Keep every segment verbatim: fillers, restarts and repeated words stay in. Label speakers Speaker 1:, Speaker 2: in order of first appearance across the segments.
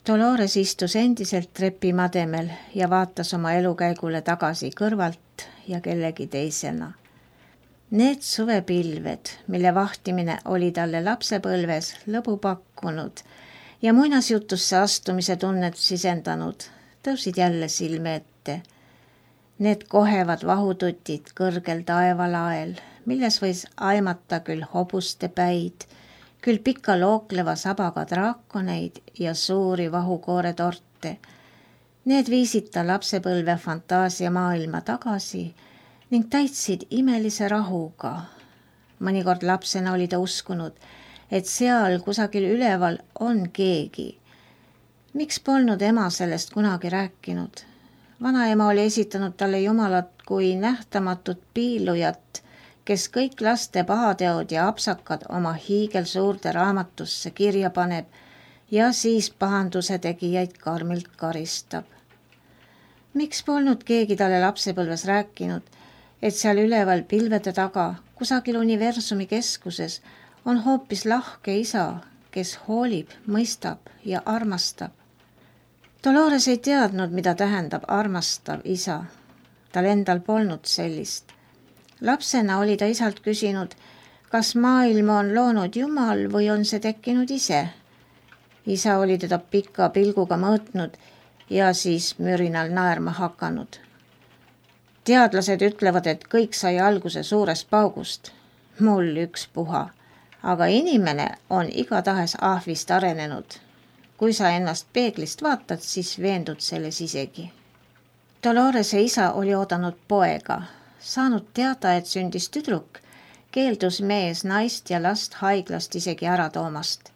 Speaker 1: Dolores istus endiselt trepimademel ja vaatas oma elukäigule tagasi kõrvalt ja kellegi teisena. Need suvepilved, mille vahtimine oli talle lapsepõlves lõbu pakkunud ja muinasjutusse astumise tunnet sisendanud, tõusid jälle silme ette. Need kohevad vahututid kõrgel taevalael, milles võis aimata küll hobuste päid, küll pika lookleva sabaga draakoneid ja suuri vahukoore torte. Need viisid ta lapsepõlve fantaasia maailma tagasi ning täitsid imelise rahuga. Mõnikord lapsena oli ta uskunud, et seal kusagil üleval on keegi. Miks polnud ema sellest kunagi rääkinud? Vanaema oli esitanud talle jumalat kui nähtamatut piilujat, kes kõik laste pahateod ja apsakad oma hiigel suurde raamatusse kirja paneb ja siis pahanduse tegijaid karmilt karistab. Miks polnud keegi talle lapsepõlves rääkinud, et seal üleval pilvede taga, kusagil universumi keskuses, on hoopis lahke isa, kes hoolib, mõistab ja armastab. Dolores ei teadnud, mida tähendab armastav isa. Tal endal polnud sellist. Lapsena oli ta isalt küsinud, kas maailma on loonud Jumal või on see tekkinud ise. Isa oli teda pika pilguga mõõtnud ja siis mürinal naerma hakanud. Teadlased ütlevad, et kõik sai alguse suurest paugust. Mul üks puha, aga inimene on igatahes ahvist arenenud. Kui sa ennast peeglist vaatad, siis veendud selles isegi. Dolorese isa oli oodanud poega. Saanud teada, et sündis tüdruk, keeldus mees naist ja last haiglast isegi ära toomast.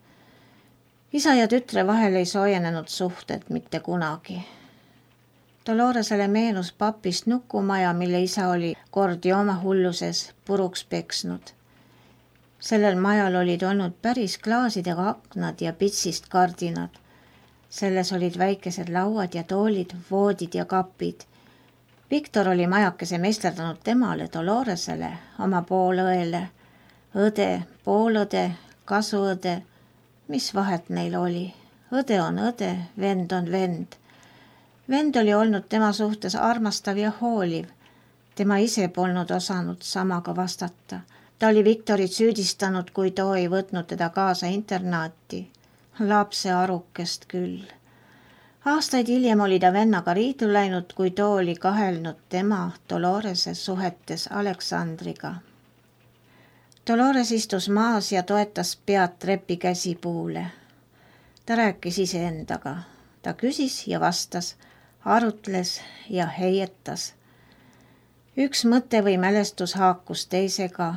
Speaker 1: Isa ja tütre vahel ei soojenenud suhted mitte kunagi. Doloresele meenus papist nukumaja, mille isa oli kord jooma hulluses puruks peksnud. Sellel majal olid olnud päris klaasidega aknad ja pitsist kardinad. Selles olid väikesed lauad ja toolid, voodid ja kapid. Viktor oli majakese meisterdanud temale, Doloresele, oma poolõele. Õde, poolõde, kasuõde, mis vahet neil oli? Õde on õde, vend on vend. Vend oli olnud tema suhtes armastav ja hooliv. Tema ise polnud osanud samaga vastata. Ta oli Viktorit süüdistanud, kui too ei võtnud teda kaasa internaati. Lapse arukest küll. Aastaid hiljem oli ta vennaga riidu läinud, kui too oli kahelnud tema Dolorese suhetes Aleksandriga. Dolores istus maas ja toetas pead trepi käsipuule. Ta rääkis iseendaga. Ta küsis ja vastas, arutles ja heietas. Üks mõte või mälestus haakus teisega,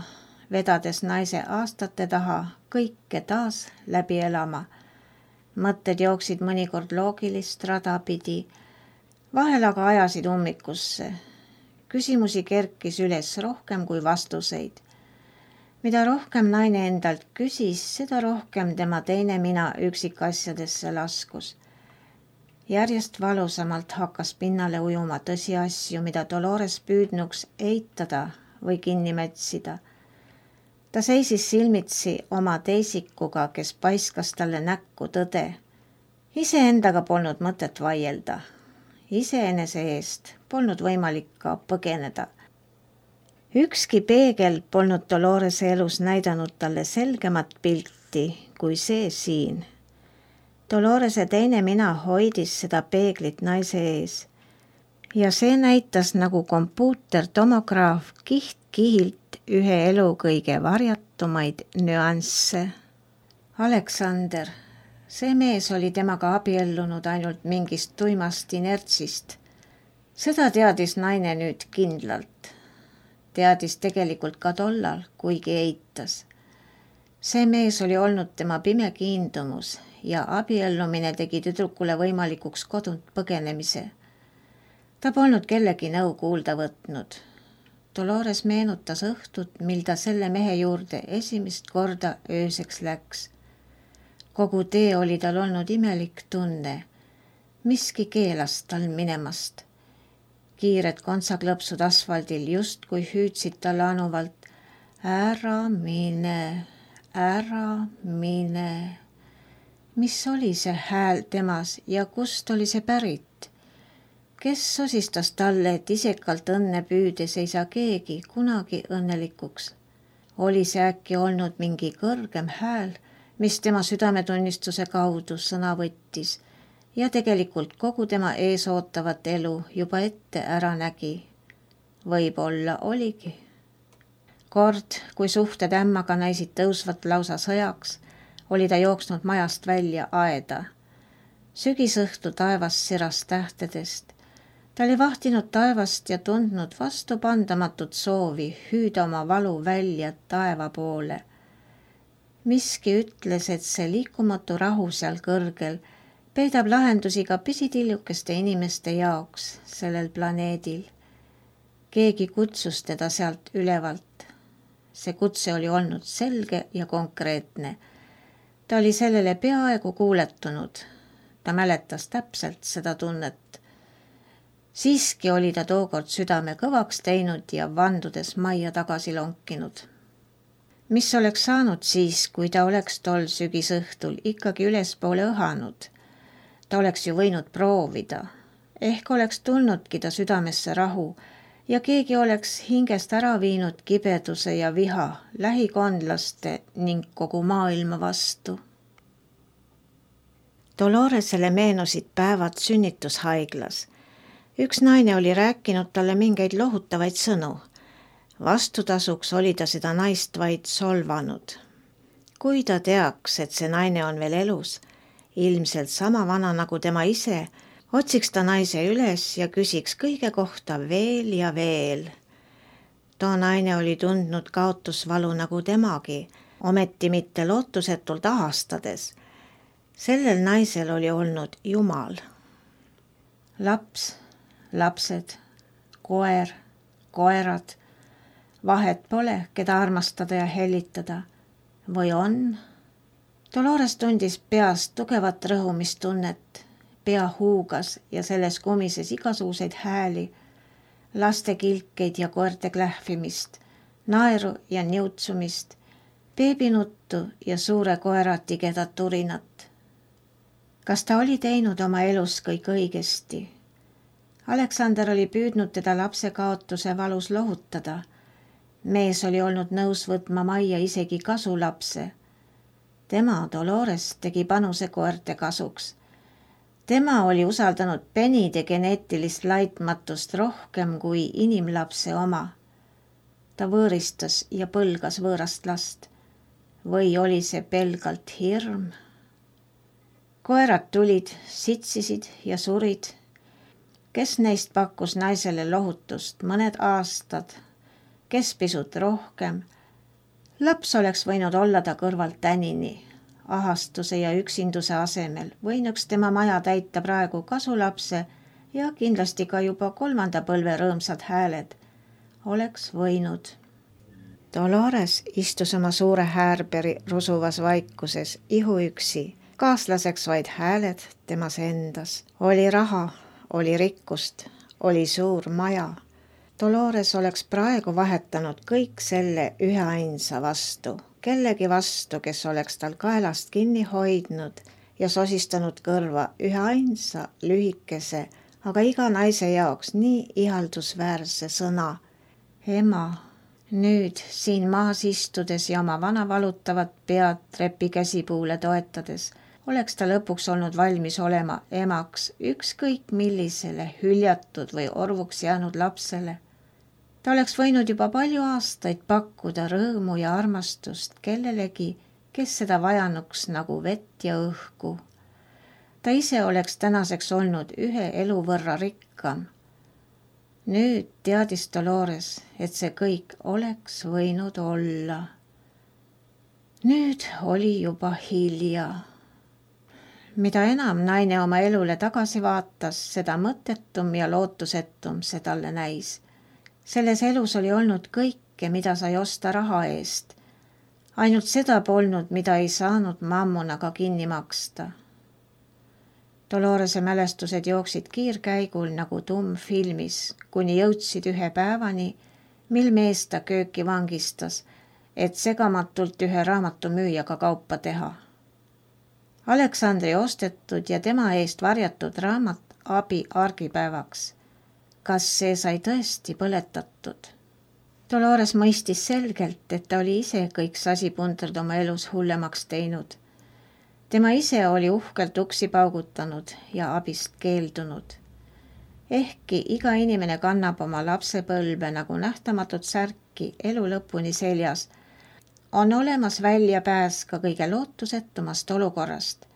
Speaker 1: vedades naise aastate taha kõike taas läbi elama. Mõtted jooksid mõnikord loogilist rada pidi, vahel aga ajasid ummikusse. Küsimusi kerkis üles rohkem kui vastuseid. Mida rohkem naine endalt küsis, seda rohkem tema teine mina üksikasjadesse laskus. Järjest valusamalt hakkas pinnale ujuma tõsiasju, mida Dolores püüdnuks eitada või kinni mätsida. Ta seisis silmitsi oma teisikuga, kes paiskas talle näkku tõde. Iseendaga polnud mõtet vaielda. Iseenese eest polnud võimalik ka põgeneda. Ükski peegel polnud Dolorese elus näidanud talle selgemat pilti kui see siin. Dolorese teine mina hoidis seda peeglit naise ees ja see näitas nagu kompuutertomograaf kiht-kihilt ühe elu kõige varjatumaid nüansse. Aleksander, see mees oli temaga abiellunud ainult mingist tuimast inertsist. Seda teadis naine nüüd kindlalt. Teadis tegelikult ka tollal, kuigi eitas. See mees oli olnud tema pime kiindumus ja abiellumine tegi tüdrukule võimalikuks kodunt põgenemise. Ta polnud kellegi nõu kuulda võtnud. Dolores meenutas õhtut, mil ta selle mehe juurde esimest korda ööseks läks. Kogu tee oli tal olnud imelik tunne. Miski keelas tal minemast. Kiired kontsaklõpsud asfaldil just kui hüüdsid talle anuvalt. Ära mine, ära mine. Mis oli see hääl temas ja kust oli see pärit? Kes sosistas talle, et isekalt õnne püüdes ei saa keegi kunagi õnnelikuks? Oli see äkki olnud mingi kõrgem hääl, mis tema südametunnistuse kaudu sõna võttis ja tegelikult kogu tema ees ootavat elu juba ette ära nägi? Võib-olla oligi. Kord, kui suhted ämmaga näisid tõusvat lausa sõjaks, oli ta jooksnud majast välja aeda. Sügisõhtu taevas siras tähtedest. Ta oli vahtinud taevast ja tundnud vastupandamatut soovi hüüda oma valu välja taeva poole. Miski ütles, et see liikumatu rahu seal kõrgel peidab lahendusi ka pisitillukeste inimeste jaoks sellel planeedil. Keegi kutsus teda sealt ülevalt. See kutse oli olnud selge ja konkreetne. Ta oli sellele peaaegu kuuletunud. Ta mäletas täpselt seda tunnet. Siiski oli ta tookord südame kõvaks teinud ja vandudes majja tagasi lonkinud. Mis oleks saanud siis, kui ta oleks tol sügisõhtul ikkagi ülespoole õhanud? Ta oleks ju võinud proovida. Ehk oleks tulnudki ta südamesse rahu ja keegi oleks hingest ära viinud kibeduse ja viha lähikondlaste ning kogu maailma vastu. Doloresele meenusid päevad sünnitushaiglas. Üks naine oli rääkinud talle mingeid lohutavaid sõnu. Vastutasuks oli ta seda naist vaid solvanud. Kui ta teaks, et see naine on veel elus, ilmselt sama vana nagu tema ise, otsiks ta naise üles ja küsiks kõige kohta veel ja veel. Too naine oli tundnud kaotusvalu nagu temagi, ometi mitte lootusetult ahastades. Sellel naisel oli olnud Jumal. Laps, lapsed, koer, koerad, vahet pole, keda armastada ja hellitada. Või on? Dolores tundis peast tugevat rõhumistunnet. Pea huugas ja selles kumises igasuguseid hääli, laste kilkeid ja koerte klähvimist, naeru ja niutsumist, beebinuttu ja suure koera tigedat turinat. Kas ta oli teinud oma elus kõik õigesti? Aleksander oli püüdnud teda lapse kaotuse valus lohutada. Mees oli olnud nõus võtma majja isegi kasulapse. Tema, Dolores, tegi panuse koerte kasuks. Tema oli usaldanud penide geneetilist laitmatust rohkem kui inimlapse oma. Ta võõristas ja põlgas võõrast last. Või oli see pelgalt hirm? Koerad tulid, sitsisid ja surid. Kes neist pakkus naisele lohutust mõned aastad, kes pisut rohkem. Laps oleks võinud olla ta kõrvalt tänini. Ahastuse ja üksinduse asemel võinuks tema maja täita praegu kasulapse ja kindlasti ka juba kolmanda põlve rõõmsad hääled. Oleks võinud. Dolores istus oma suure häärberi rusuvas vaikuses ihuüksi, kaaslaseks vaid hääled temas endas. Oli raha, oli rikkust, oli suur maja. Dolores oleks praegu vahetanud kõik selle üheainsa vastu. Kellegi vastu, kes oleks tal kaelast kinni hoidnud ja sosistanud kõrva üheainsa, lühikese, aga iga naise jaoks nii ihaldusväärse sõna. Ema, nüüd siin maas istudes ja oma vana valutavat pead trepi käsipuule toetades, oleks ta lõpuks olnud valmis olema emaks ükskõik millisele hüljatud või orvuks jäänud lapsele. Ta oleks võinud juba palju aastaid pakkuda rõõmu ja armastust kellelegi, kes seda vajanuks nagu vett ja õhku. Ta ise oleks tänaseks olnud ühe elu võrra rikkam. Nüüd teadis Dolores, et see kõik oleks võinud olla. Nüüd oli juba hilja. Mida enam naine oma elule tagasi vaatas, seda mõttetum ja lootusetum see talle näis. Selles elus oli olnud kõike, mida sai osta raha eest. Ainult seda polnud, mida ei saanud mammunaga kinni maksta. Dolorese mälestused jooksid kiirkäigul nagu tumm filmis, kuni jõudsid ühe päevani, mil mees ta kööki vangistas, et segamatult ühe raamatumüüjaga kaupa teha. Aleksandri ostetud ja tema eest varjatud raamat Abi argipäevaks. Kas see sai tõesti põletatud? Dolores mõistis selgelt, et ta oli ise kõik sasipundrid oma elus hullemaks teinud. Tema ise oli uhkelt uksi paugutanud ja abist keeldunud. Ehkki iga inimene kannab oma lapsepõlve nagu nähtamatut särki elu lõpuni seljas, on olemas väljapääs ka kõige lootusetumast olukorrast.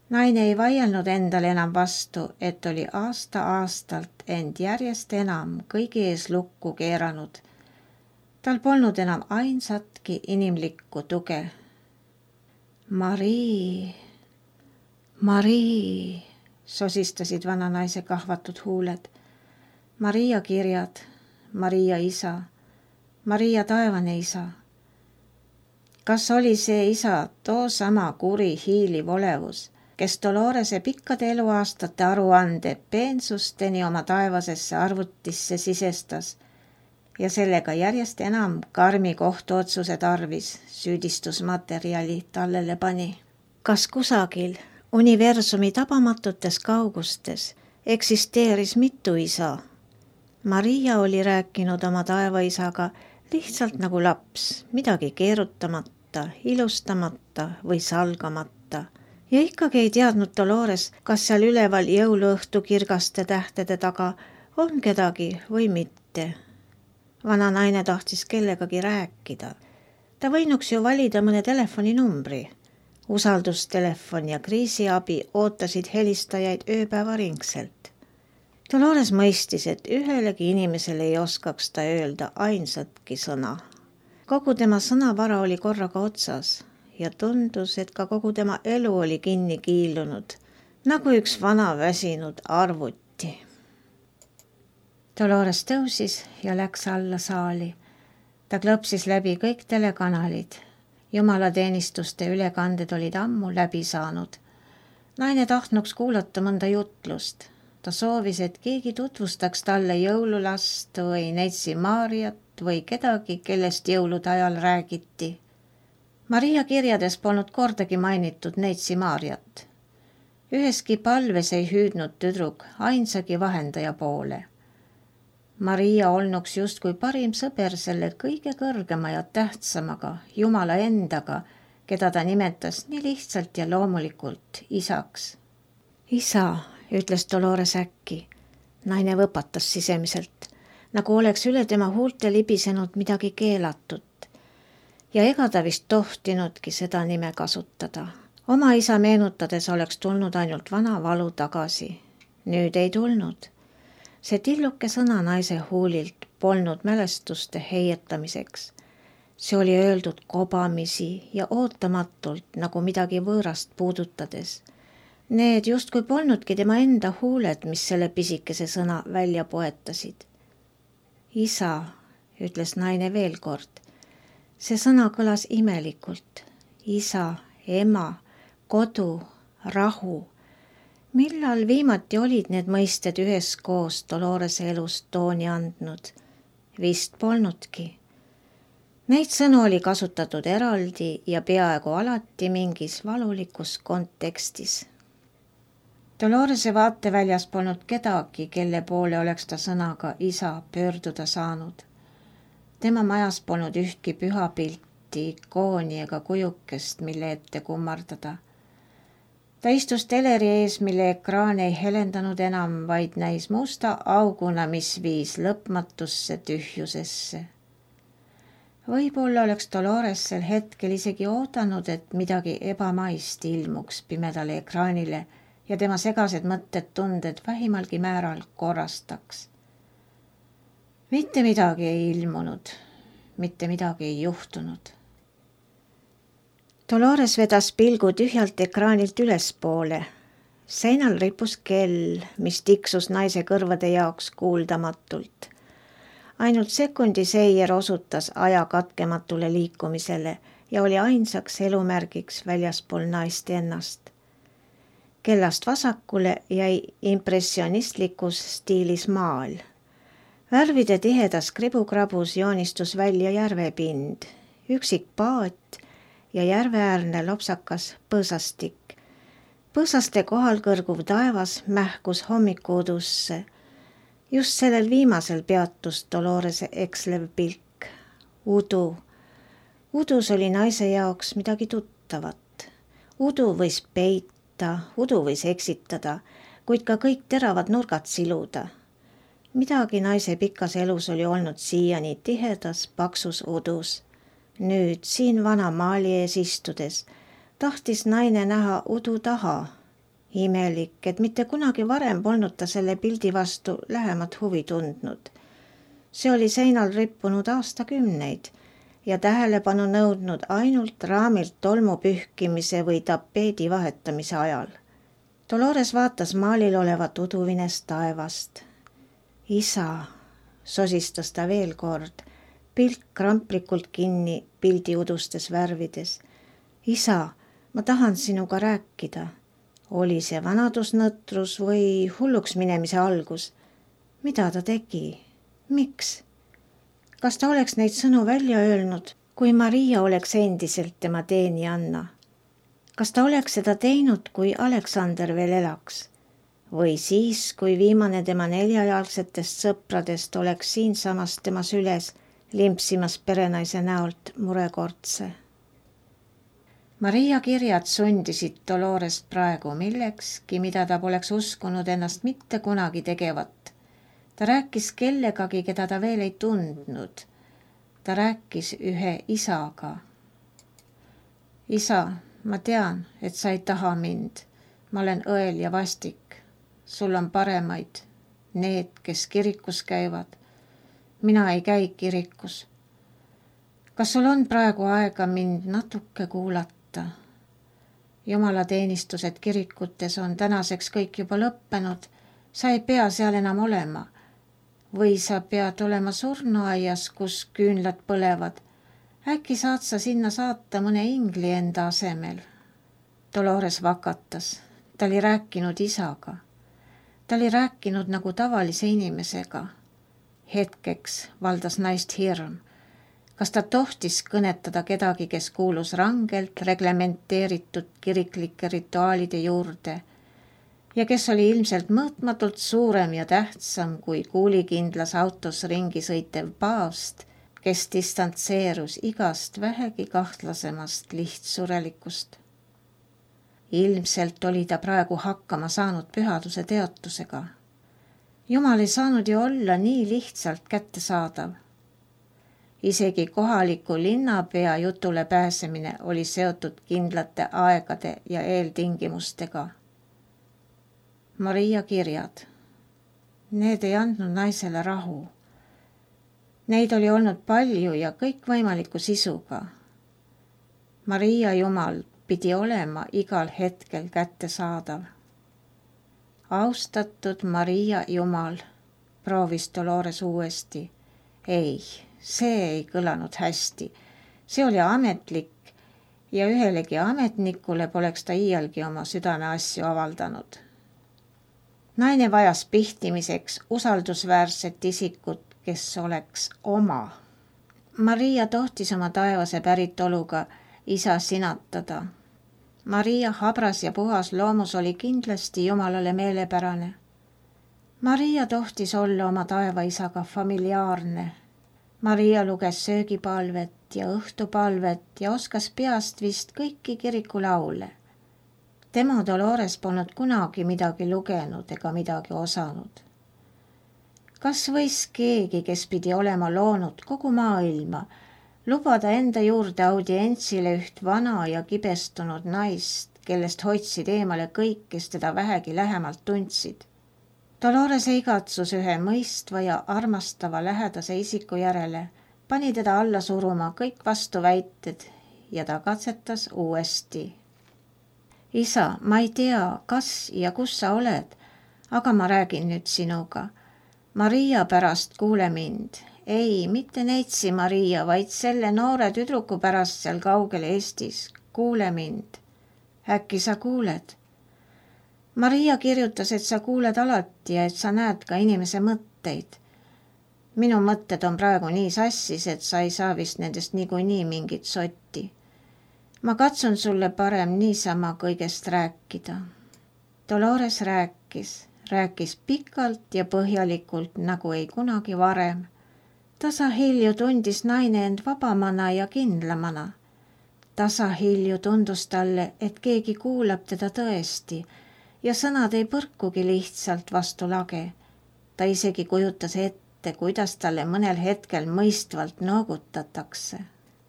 Speaker 1: Naine ei vaielnud endale enam vastu, et oli aasta-aastalt end järjest enam kõigi ees lukku keeranud. Tal polnud enam ainsatki inimlikku tuge. Marii, Marii, sosistasid vana naise kahvatud huuled. Maria kirjad, Maria isa, Maria taevane isa. Kas oli see isa too sama kuri hiiliv olevus, kes Dolorese pikkade eluaastate aruande peensusteni oma taevasesse arvutisse sisestas ja sellega järjest enam karmi kohtuotsuse tarvis süüdistusmaterjali tallele pani? Kas kusagil universumi tabamatutes kaugustes eksisteeris mitu isa? Maria oli rääkinud oma taevaisaga lihtsalt nagu laps, midagi keerutamata, ilustamata või salgamata. Ja ikkagi ei teadnud Dolores, kas seal üleval jõuluõhtu kirgaste tähtede taga on kedagi või mitte. Vana naine tahtis kellegagi rääkida. Ta võinuks ju valida mõne telefoninumbri. Usaldustelefon ja kriisiabi ootasid helistajaid ööpäevaringselt. Dolores mõistis, et ühelegi inimesele ei oskaks ta öelda ainsatki sõna. Kogu tema sõnavara oli korraga otsas ja tundus, et ka kogu tema elu oli kinni kiilunud, nagu üks vana väsinud arvuti. Dolores tõusis ja läks alla saali. Ta klõpsis läbi kõik telekanalid. Jumalateenistuste ülekanded olid ammu läbi saanud. Naine tahtnuks kuulata mõnda jutlust. Ta soovis, et keegi tutvustaks talle jõululast või neitsi Maariat või kedagi, kellest jõulude ajal räägiti. Maria kirjades polnud kordagi mainitud neitsi Maariat. Üheski palves ei hüüdnud tüdruk ainsagi vahendaja poole. Maria olnuks justkui parim sõber selle kõige kõrgema ja tähtsamaga, Jumala endaga, keda ta nimetas nii lihtsalt ja loomulikult isaks. Isa, ütles Dolores äkki. Naine võpatas sisemiselt, nagu oleks üle tema huulte libisenud midagi keelatud. Ja ega ta vist tohtinudki seda nime kasutada. Oma isa meenutades oleks tulnud ainult vana valu tagasi. Nüüd ei tulnud. See tilluke sõna naise huulilt polnud mälestuste heietamiseks. See oli öeldud kobamisi ja ootamatult nagu midagi võõrast puudutades. Need justkui polnudki tema enda huuled, mis selle pisikese sõna välja poetasid. Isa, ütles naine veel kord. See sõna kõlas imelikult. Isa, ema, kodu, rahu. Millal viimati olid need mõisted üheskoos Dolorese elust tooni andnud? Vist polnudki. Neid sõnu oli kasutatud eraldi ja peaaegu alati mingis valulikus kontekstis. Dolorese vaateväljas polnud kedagi, kelle poole oleks ta sõnaga isa pöörduda saanud. Tema majas polnud ühtki pühapilti, ikooni ega kujukest, mille ette kummardada. Ta istus teleri ees, mille ekraan ei helendanud enam, vaid näis musta auguna, mis viis lõpmatusse tühjusesse. Võib-olla oleks Dolores sel hetkel isegi oodanud, et midagi ebamaist ilmuks pimedale ekraanile ja tema segased mõtted tunded vähimalgi määral korrastaks. Mitte midagi ei ilmunud, mitte midagi ei juhtunud. Dolores vedas pilgu tühjalt ekraanilt ülespoole. Seinal ripus kell, mis tiksus naise kõrvade jaoks kuuldamatult. Ainult sekundi seier osutas aja katkematule liikumisele ja oli ainsaks elumärgiks väljaspool naist ennast. Kellast vasakule jäi impressionistlikus stiilis maal. Värvide tihedas kribukrabus joonistus välja järvepind, üksik paat ja järveäärne lopsakas põõsastik, Põõsaste kohal kõrguv taevas mähkus hommikuudusse. Just sellel viimasel peatus Dolorese ekslev pilk. Udu. Udus oli naise jaoks midagi tuttavat. Udu võis peita, udu võis eksitada, kuid ka kõik teravad nurgad siluda. Midagi naise pikas elus oli olnud siiani tihedas, paksus udus. Nüüd siin vana maali ees istudes tahtis naine näha udu taha. Imelik, et mitte kunagi varem polnud ta selle pildi vastu lähemat huvi tundnud. See oli seinal rippunud aastakümneid ja tähelepanu nõudnud ainult raamilt tolmu pühkimise või tapeedi vahetamise ajal. Dolores vaatas maalil olevat uduvines taevast. Isa, sosistas ta veel kord, pilk kramplikult kinni pildi udustes värvides. Isa, ma tahan sinuga rääkida. Oli see vanadusnõtrus või hulluks minemise algus? Mida ta tegi? Miks? Kas ta oleks neid sõnu välja öelnud, kui Maria oleks endiselt tema teenijanna? Kas ta oleks seda teinud, kui Aleksander veel elaks? Või siis, kui viimane tema neljajalgsetest sõpradest oleks siinsamas tema süles limpsimas perenaise näolt murekortse? Maria kirjad sundisid Dolorest praegu millekski, mida ta poleks uskunud ennast mitte kunagi tegevat. Ta rääkis kellegagi, keda ta veel ei tundnud. Ta rääkis ühe isaga. Isa, ma tean, et sa ei taha mind. Ma olen õel ja vastik. Sul on paremaid, need, kes kirikus käivad. Mina ei käi kirikus. Kas sul on praegu aega mind natuke kuulata? Jumalateenistused kirikutes on tänaseks kõik juba lõppenud. Sa ei pea seal enam olema. Või sa pead olema surnuaias, kus küünlad põlevad. Äkki saad sa sinna saata mõne ingli enda asemel? Dolores vakatas. Ta oli rääkinud isaga. Ta oli rääkinud nagu tavalise inimesega. Hetkeks valdas naist hirm. Kas ta tohtis kõnetada kedagi, kes kuulus rangelt reglementeeritud kiriklike rituaalide juurde ja kes oli ilmselt mõõtmatult suurem ja tähtsam kui kuulikindlas autos ringi sõitev paavst, kes distantseerus igast vähegi kahtlasemast lihtsurelikust. Ilmselt oli ta praegu hakkama saanud pühaduse teotusega. Jumal ei saanud ju olla nii lihtsalt kättesaadav. Isegi kohaliku linnapea jutule pääsemine oli seotud kindlate aegade ja eeltingimustega. Maria kirjad. Need ei andnud naisele rahu. Neid oli olnud palju ja kõikvõimaliku sisuga. Maria Jumal pidi olema igal hetkel kättesaadav. Austatud Maria Jumal, proovis Dolores uuesti. Ei. See ei kõlanud hästi. See oli ametlik ja ühelegi ametnikule poleks ta iialgi oma südame asju avaldanud. Naine vajas pihtimiseks usaldusväärset isikut, kes oleks oma. Maria tohtis oma taevase päritoluga isa sinatada. Maria habras ja puhas loomus oli kindlasti Jumalale meelepärane. Maria tohtis olla oma taevaisaga familiaarne. Maria luges söögipalvet ja õhtupalvet ja oskas peast vist kõiki kirikulaule. Tema Dolores polnud kunagi midagi lugenud ega midagi osanud. Kas võis keegi, kes pidi olema loonud kogu maailma, lubada enda juurde audientsile üht vana ja kibestunud naist, kellest hoidsid eemale kõik, kes teda vähegi lähemalt tundsid? Dolorese igatsus ühe mõistva ja armastava lähedase isiku järele pani teda alla suruma kõik vastuväited ja ta katsetas uuesti. Isa, ma ei tea, kas ja kus sa oled, aga ma räägin nüüd sinuga. Maria pärast kuule mind. Ei, mitte neitsi Maria, vaid selle noore tüdruku pärast seal kaugel Eestis. Kuule mind. Äkki sa kuuled? Maria kirjutas, et sa kuuled alati ja et sa näed ka inimese mõtteid. Minu mõtted on praegu nii sassis, et sa ei saa vist nendest niikuinii mingit sotti. Ma katsun sulle parem niisama kõigest rääkida. Dolores rääkis, rääkis pikalt ja põhjalikult, nagu ei kunagi varem. Tasahilju tundis naine end vabamana ja kindlamana. Tasahilju tundus talle, et keegi kuulab teda tõesti ja sõnad ei põrkugi lihtsalt vastu lage. Ta isegi kujutas ette, kuidas talle mõnel hetkel mõistvalt noogutatakse.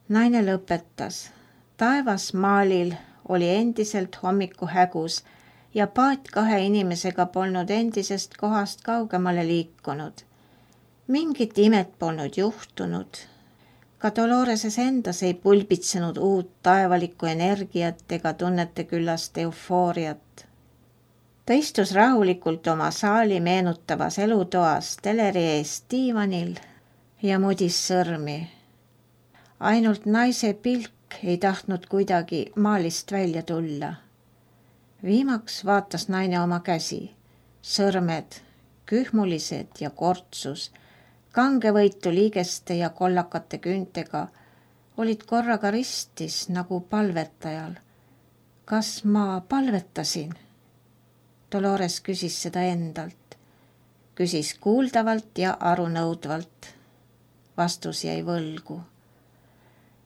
Speaker 1: Naine lõpetas. Taevas maalil oli endiselt hommiku hägus ja paat kahe inimesega polnud endisest kohast kaugemale liikunud. Mingit imet polnud juhtunud. Ka Doloreses endas ei pulbitsenud uut taevalikku energiat ega tunnete küllast eufooriat. Ta istus rahulikult oma saali meenutavas elutoas teleri ees diivanil ja mudis sõrmi. Ainult naise pilk ei tahtnud kuidagi maalist välja tulla. Viimaks vaatas naine oma käsi, sõrmed, kühmulised ja kortsus, kangevõitu liigeste ja kollakate küntega olid korraga ristis nagu palvetajal. Kas ma palvetasin? Dolores küsis seda endalt. Küsis kuuldavalt ja arunõudvalt. Vastus jäi võlgu.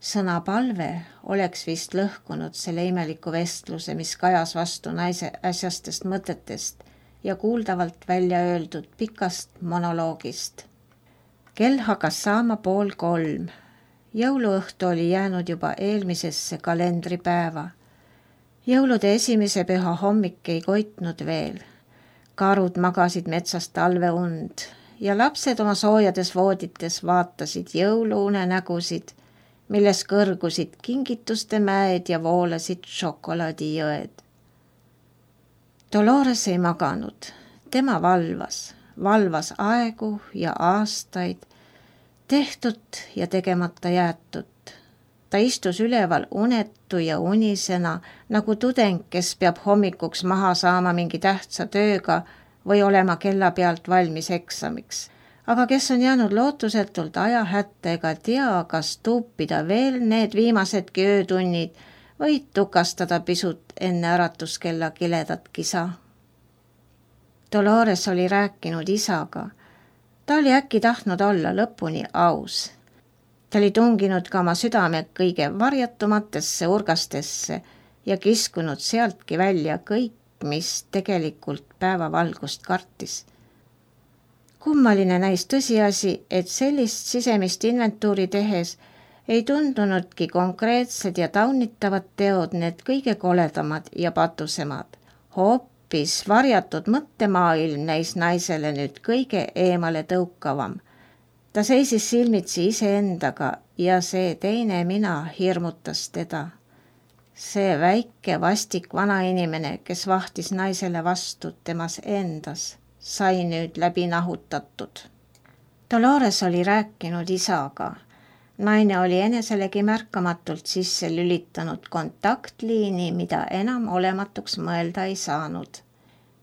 Speaker 1: Sõna palve oleks vist lõhkunud selle imeliku vestluse, mis kajas vastu naise äsjastest mõtetest ja kuuldavalt välja öeldud pikast monoloogist. Kell hakkas saama pool kolm. Jõuluõhtu oli jäänud juba eelmisesse kalendripäeva. Jõulude esimese püha hommik ei koitnud veel. Karud magasid metsas talveund ja lapsed oma soojades voodites vaatasid jõuluune nägusid, milles kõrgusid kingituste mäed ja voolasid šokolaadijõed. Dolores ei maganud. Tema valvas, valvas aegu ja aastaid, tehtud ja tegemata jäetud. Ta istus üleval unetu ja unisena, nagu tudeng, kes peab hommikuks maha saama mingi tähtsa tööga või olema kella pealt valmis eksamiks. Aga kes on jäänud lootusetult aja hätta ega tea, kas tuupida veel need viimasedki öötunnid või tukastada pisut enne äratuskella kiledat kisa. Dolores oli rääkinud isaga. Ta oli äkki tahtnud olla lõpuni aus. Ta oli tunginud ka oma südame kõige varjatumatesse urgastesse ja kiskunud sealtki välja kõik, mis tegelikult päevavalgust kartis. Kummaline näis tõsiasi, et sellist sisemist inventuuri tehes ei tundunudki konkreetsed ja taunitavad teod need kõige koledamad ja patusemad. Hoopis varjatud mõttemaailm näis naisele nüüd kõige eemale tõukavam. Ta seisis silmitsi iseendaga ja see teine mina hirmutas teda. See väike vastik vanainimene, kes vahtis naisele vastu temas endas, sai nüüd läbi nahutatud. Dolores oli rääkinud isaga. Naine oli eneselegi märkamatult sisse lülitanud kontaktliini, mida enam olematuks mõelda ei saanud.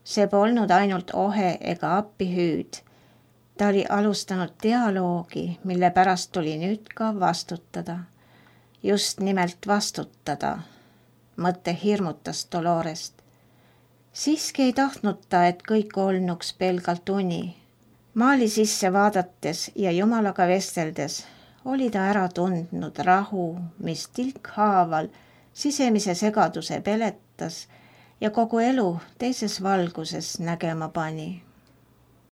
Speaker 1: See polnud ainult ohe ega appihüüd. Ta oli alustanud dialoogi, mille pärast tuli nüüd ka vastutada. Just nimelt vastutada. Mõte hirmutas Dolorest. Siiski ei tahtnud ta, et kõik olnuks pelgalt uni. Maali sisse vaadates ja Jumalaga vesteldes oli ta ära tundnud rahu, mis tilkhaaval sisemise segaduse peletas ja kogu elu teises valguses nägema pani.